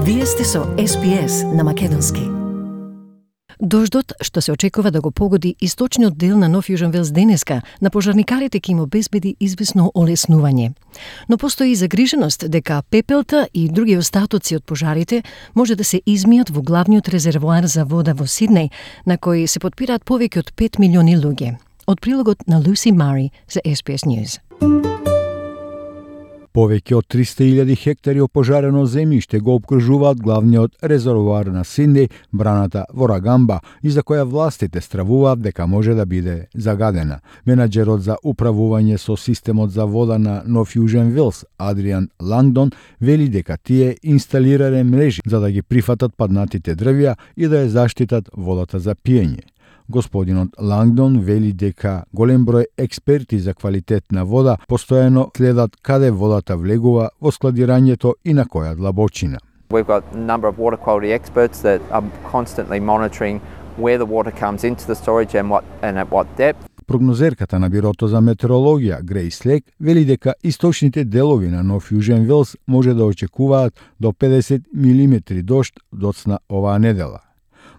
Вие сте со SPS на македонски. Дождот, што се очекува да го погоди источниот дел на Нов Јужен Велс денеска, на пожарникарите ќе им обезбеди извесно олеснување. Но постои загриженост дека пепелта и други остатоци од пожарите може да се измијат во главниот резервоар за вода во Сиднеј, на кој се потпираат повеќе од 5 милиони луѓе. Од прилогот на Lucy Murray за SPS News. Повеќе од 300.000 хектари опожарено земјиште го опкружуваат главниот резервоар на Сиднеј, браната Ворагамба, и за која властите стравуваат дека може да биде загадена. Менаџерот за управување со системот за вода на Нов Јужен Велс, Адриан Лангдон, вели дека тие инсталирале мрежи за да ги прифатат паднатите дрвја и да ја заштитат водата за пиење. Господинот Лангдон вели дека голем број експерти за квалитет на вода постојано следат каде водата влегува во складирањето и на која длабочина. We've got a number of water quality experts that are constantly monitoring where the water comes into the storage and at what depth. Прогнозерката на Бирото за метеорологија Грейс Лек вели дека источните делови на Нов Јужен Велс може да очекуваат до 50 милиметри дожд доцна оваа недела.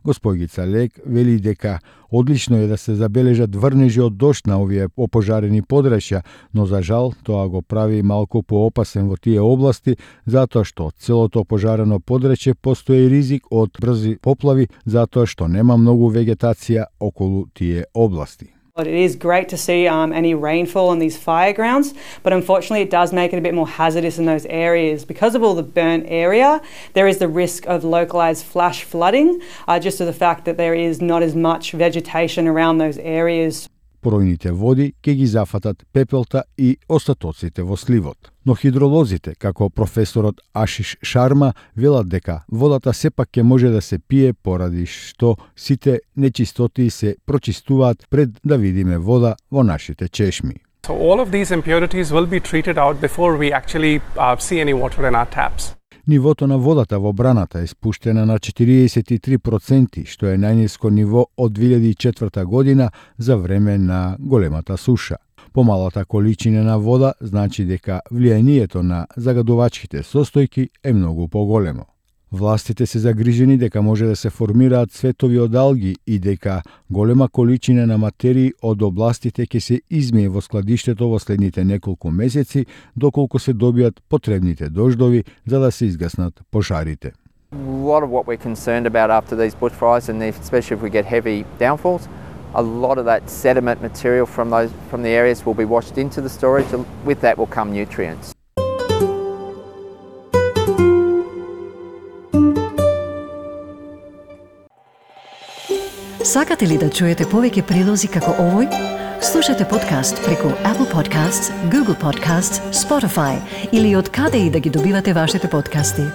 Господица Лек вели дека одлично е да се забележат врнежи од дожд на овие опожарени подрачја, но за жал тоа го прави малку поопасен во тие области, затоа што целото опожарено подрачје постои ризик од брзи поплави, затоа што нема многу вегетација околу тие области. It is great to see any rainfall on these fire grounds, but unfortunately it does make it a bit more hazardous in those areas. Because of all the burnt area, there is the risk of localised flash flooding, just to the fact that there is not as much vegetation around those areas. Поројните води ќе ги зафатат пепелта и остатоците во сливот. Но хидролозите, како професорот Ашиш Шарма, велат дека водата сепак ќе може да се пие поради што сите нечистоти се прочистуваат пред да видиме вода во нашите чешми. So all of these impurities will be treated out before we actually see any water in our taps. Нивото на водата во браната е спуштена на 43%, што е најниско ниво од 2004 година за време на големата суша. Помалата количина на вода значи дека влијанието на загадувачките состојки е многу поголемо. Властите се загрижени дека може да се формираат цветови од алги и дека голема количина на материи од областите ќе се измие во складиштето во следните неколку месеци, доколку се добијат потребните дождови за да се изгаснат пожарите. A lot of what we're concerned about after these bushfires, and especially if we get heavy downfalls, a lot of that sediment material from the areas will be washed into the storage, and with that will come nutrients. Сакате ли да чуете повеќе прилози како овој? Слушате подкаст преку Apple Podcasts, Google Podcasts, Spotify или од каде и да ги добивате вашите подкасти.